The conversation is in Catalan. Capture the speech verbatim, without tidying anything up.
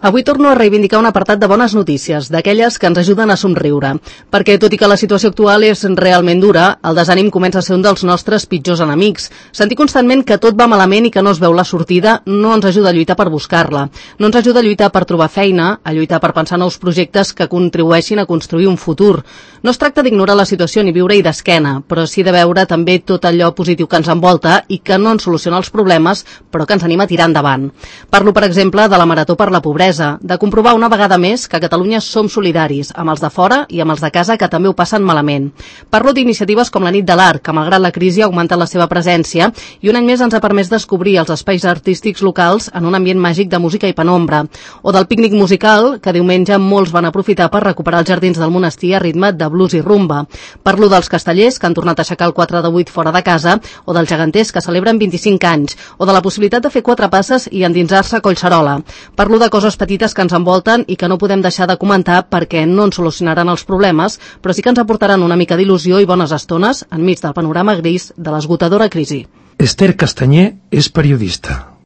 Avui torno a reivindicar un apartat de bones notícies, d'aquelles que ens ajuden a somriure. Perquè, tot i que la situació actual és realment dura, el desànim comença a ser un dels nostres pitjors enemics. Sentir constantment que tot va malament i que no es veu la sortida no ens ajuda a lluitar per buscar-la. No ens ajuda a lluitar per trobar feina, a lluitar per pensar nous projectes que contribueixin a construir un futur. No es tracta d'ignorar la situació ni viure-hi d'esquena, però sí de veure també tot allò positiu que ens envolta i que no ens soluciona els problemes, però que ens anima a tirar endavant. Parlo, per exemple, de la Marató per la Pobresa, de comprovar una vegada més que a Catalunya som solidaris, amb els de fora i amb els de casa que també ho passen malament. Parlo d'iniciatives com la Nit de l'Art, que malgrat la crisi ha augmentat la seva presència i un any més ens ha permès descobrir els espais artístics locals en un ambient màgic de música i penombra. O del pícnic musical, que diumenge molts van aprofitar per recuperar els jardins del monestir a ritme de blues i rumba. Parlo dels castellers, que han tornat a aixecar el quatre de vuit fora de casa, o dels geganters, que celebren vint-i-cinc anys, o de la possibilitat de fer quatre passes i endinsar-se a Collserola. Parlo de coses petites que ens envolten i que no podem deixar de comentar perquè no ens solucionaran els problemes, però sí que ens aportaran una mica d'il·lusió i bones estones enmig del panorama gris de l'esgotadora crisi. Esther Castanyer és periodista.